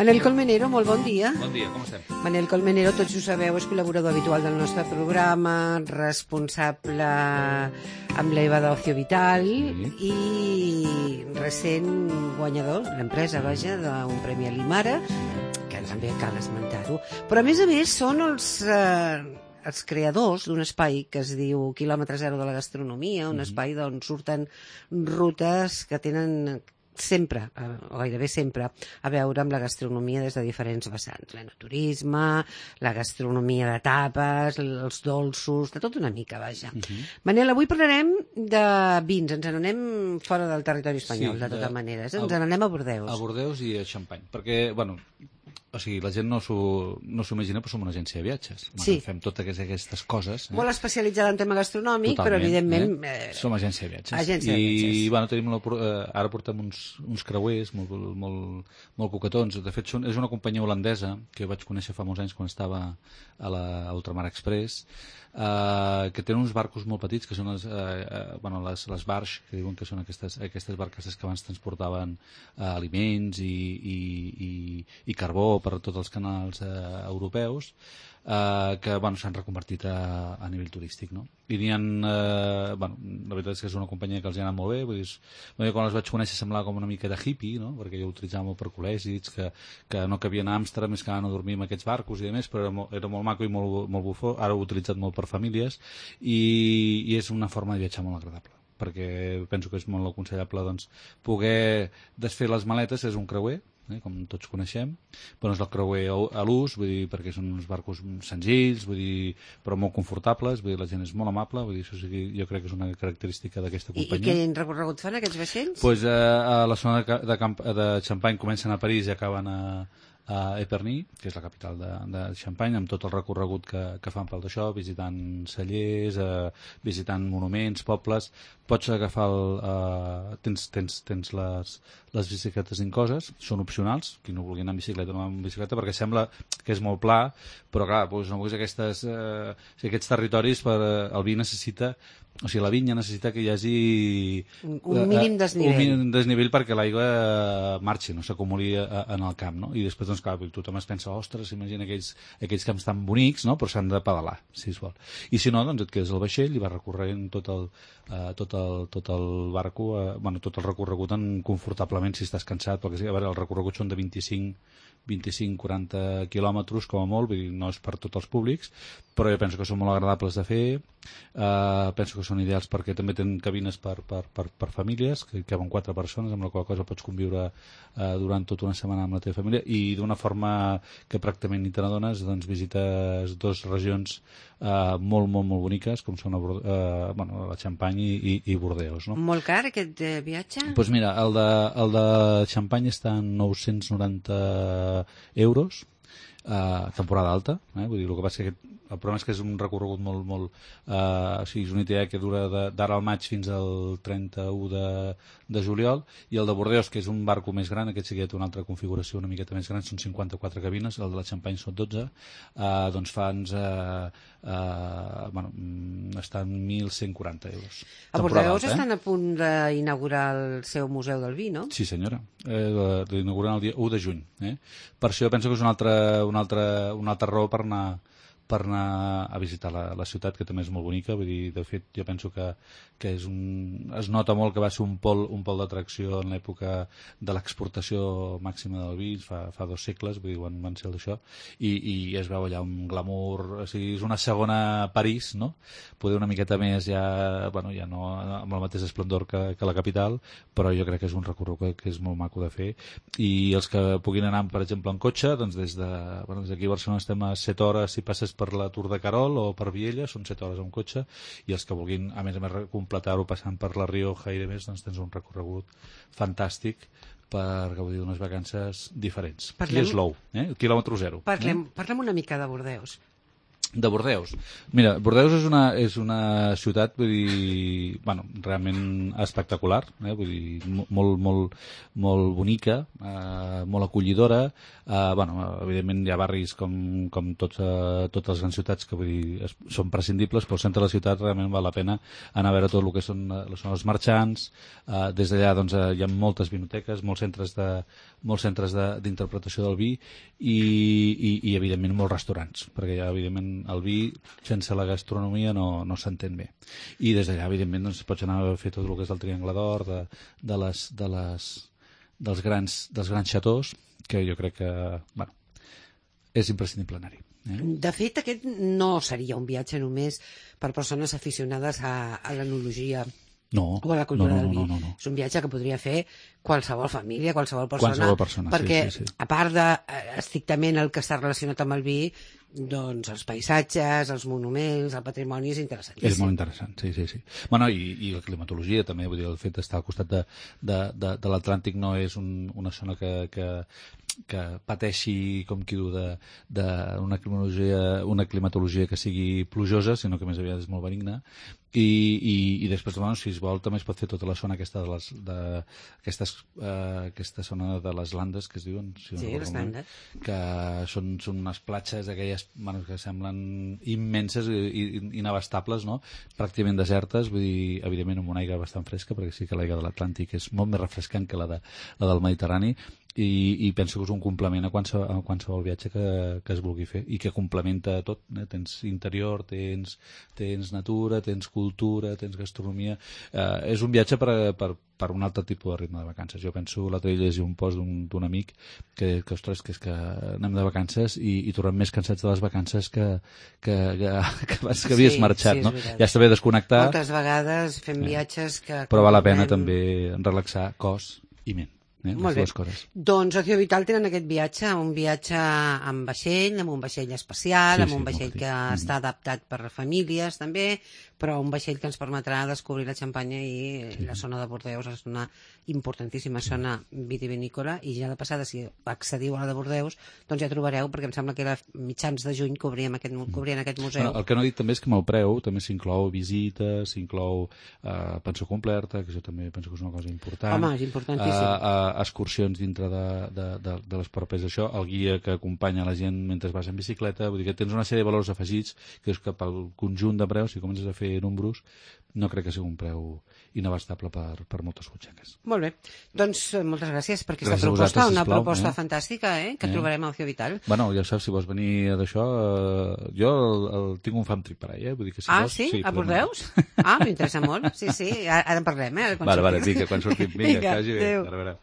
Manel Colmenero, molt bon dia. Bon dia, com estem? Manel Colmenero, tots ho sabeu, és col·laborador habitual del nostre programa, responsable amb l'EVA d'Ocio Vital i recent guanyador, l'empresa, vaja, d'un premi a l'Imara, que també cal esmentar-ho. Però, a més, són els creadors d'un espai que es diu Quilòmetre Zero de la Gastronomia, un espai d'on surten rutes que tenen sempre, o gairebé sempre, a veure amb la gastronomia des de diferents vessants. L'enoturisme, la gastronomia de tapes, els dolços, de tot una mica, vaja. Manel, avui parlarem de vins. Ens n'anem fora del territori espanyol, de totes maneres. Ens n'anem a Bordeus. A Bordeus i a Xampany. Perquè, bueno, o sigui, la gent no s'ho imagina, però som una agència de viatges. Sí. Fem totes aquestes coses. Molt especialitzada en tema gastronòmic, totalment, però evidentment... Som agència de viatges. Agència de viatges. I, bueno, tenim ara portem uns creuers molt coquetons. De fet, és una companyia holandesa que vaig conèixer fa molts anys quan estava a la Ultramar Express, que tenen uns barcos molt petits, que són les barges, que diuen que són aquestes barcasses que abans transportaven aliments i carbó per tots els canals europeus, que s'han reconvertit a nivell turístic, no? I n'hi ha, la veritat és que és una companyia que els ha anat molt bé, vull dir, quan els vaig conèixer semblava com una mica de hippie, no? Perquè jo utilitzava molt per col·legis, que no cabien a Amsterdam, més que anaven a dormir amb aquests barcos i demés, però era molt maco i molt bufó. Ara ho he utilitzat molt per famílies i és una forma de viatjar molt agradable, perquè penso que és molt aconsellable poder desfer les maletes. És un creuer, com tots coneixem, però és el creuer a l'ús, vull dir, perquè són uns barcos senzills, vull dir, però molt confortables, vull dir, la gent és molt amable, vull dir, això sí, jo crec que és una característica d'aquesta companyia. I quin recorregut fan aquests vaixells? Pues a la zona de Xampany comencen a París i acaben a Épernay, que és la capital de Xampany, amb tot el recorregut que fan pel d'això, visitant cellers, visitant monuments, pobles. Pots agafar tens les bicicletes incloses, són opcionals, qui no vulgui anar en bicicleta no va en bicicleta, perquè sembla que és molt pla, però clar, aquests territoris el vi necessita, o sigui, la vinya necessita que hi hagi un mínim desnivell. Un mínim desnivell perquè l'aigua marxi, no s'acumuli en el camp, no? I després, clar, tothom es pensa, ostres, imagina aquells camps tan bonics, no? Però s'han de pedalar, si es vol. I si no, doncs et quedes al vaixell i vas recorrent tot el barco, tot el recorregut confortablement si estàs cansat, perquè a veure, els recorreguts són de 25-40 quilòmetres com a molt, vull dir, no és per tots els públics, però jo penso que són molt agradables de fer, penso que són ideals perquè també tenen cabines per famílies, que caben 4 persones, amb la qual cosa pots conviure durant tota una setmana amb la teva família, i d'una forma que pràcticament ni te n'adones, doncs visites 2 regions molt boniques, com són la Xampany i Bordeus, no? Molt car aquest viatge? Doncs mira, el de Xampany està en 990 euros, temporada alta, vull dir, el que passa que el problema és que és un recorregut molt o sigui, és una idea que dura d'ara al maig fins al 31 de juliol, i el de Bordeus, que és un barco més gran, aquest sí que té una altra configuració una miqueta més gran, són 54 cabines, el de la Xampany són 12, doncs estan 1.140 euros. A Bordeus estan a punt d'inaugurar el seu Museu del Vi, no? Sí, senyora, l'inauguren el dia 1 de juny. Per això jo penso que és una altra raó per anar a visitar la ciutat, que també és molt bonica. Vull dir, de fet, jo penso que es nota molt que va ser un pol d'atracció en l'època de l'exportació màxima del vi, fa 2 segles, vull dir, van ser d'això, i es veu allà un glamour, o sigui, és una segona París, no? Poder una miqueta més ja no amb el mateix esplendor que la capital, però jo crec que és un recorregut que és molt maco de fer, i els que puguin anar, per exemple, en cotxe, doncs des d'aquí a Barcelona estem a 7 hores si passes per la Tour de Carol o per Viella, són 7 hores en cotxe, i els que vulguin, a més completar-ho passant per la Rioja i demés, doncs tens un recorregut fantàstic per gaudir d'unes vacances diferents. I és low, quilòmetre zero. Parlem una mica de Bordeus. De Bordeus. Mira, Bordeus és una ciutat, vull dir, bueno, realment espectacular, vull dir, molt bonica, molt acollidora. Bueno, evidentment hi ha barris com totes les grans ciutats que vull dir, són prescindibles, però al centre de la ciutat realment val la pena anar a veure tot el que són els marxants. Des d'allà doncs, hi ha moltes vinoteques, molts centres d'interpretació del vi i evidentment molts restaurants, perquè hi ha evidentment el vi sense la gastronomia no s'entén bé. I des d'allà, evidentment, doncs, pots anar a fer tot el que és el Triangle d'Or, dels grans xatós, que jo crec que, bueno, és imprescindible anar-hi. De fet, aquest no seria un viatge només per persones aficionades a l'enologia o a la cultura del vi. No. És un viatge que podria fer qualsevol família, qualsevol persona, perquè sí. a part de estrictament el que està relacionat amb el vi, doncs els paisatges, els monuments, el patrimoni és interessantíssim. És molt interessant, sí. Bueno, i la climatologia també, vull dir, el fet d'estar al costat de l'Atlàntic no és una zona que pateixi, com qui diu, una climatologia que sigui plujosa, sinó que més aviat és molt benigna. I després, bueno, si es vol, també es pot fer tota la zona aquesta aquesta zona de les Landes, que es diuen, si no les Landes, que són unes platges aquelles, bueno, que semblen immenses i inabastables, no? Pràcticament desertes, vull dir, evidentment amb una aigua bastant fresca, perquè sí que l'aigua de l'Atlàntic és molt més refrescant que la del Mediterrani, i penso que és un complement a qualsevol viatge que es vulgui fer i que complementa tot, tens interior, tens natura, tens cultura, tens gastronomia. És un viatge per un altre tipus de ritme de vacances. Jo penso, l'altre dia llegia un post d'un amic que ostres, que és que anem de vacances i tornem més cansats de les vacances que abans que havies marxat, no? Ja està bé desconnectar. Moltes vegades fem viatges que... Però val la pena també relaxar cos i ment. Molt bé. Doncs Ocio Vital tenen aquest viatge, un viatge amb un vaixell espacial, amb un vaixell que està adaptat per a famílies també, però un vaixell que ens permetrà descobrir la Xampanya i la zona de Bordeus és una importantíssima zona vitivinícola, i ja de passada, si accediu a la de Bordeus, doncs ja trobareu, perquè em sembla que era mitjans de juny cobrien aquest museu. El que no he dit també és que amb el preu també s'inclou visites, s'inclou pensió completa, que això també penso que és una cosa important. Home, és importantíssim. Excursions dintre de les pròpies això, el guia que acompanya la gent mentre vas en bicicleta, vull dir que tens una sèrie de valors afegits que és que pel conjunt de preus, si comences a fer números, no crec que sigui un preu inabastable per moltes butxaques. Molt bé, doncs moltes gràcies per aquesta proposta, una proposta fantàstica que trobarem al Ocio Vital. Bueno, ja saps, si vols venir d'això, jo tinc un fam trip per ahí, vull dir que si vols... Sí? A Bordeus? M'interessa molt, sí, ara en parlem, Vale, vinga, quan sortim, vinga, que vagi bé. Adéu.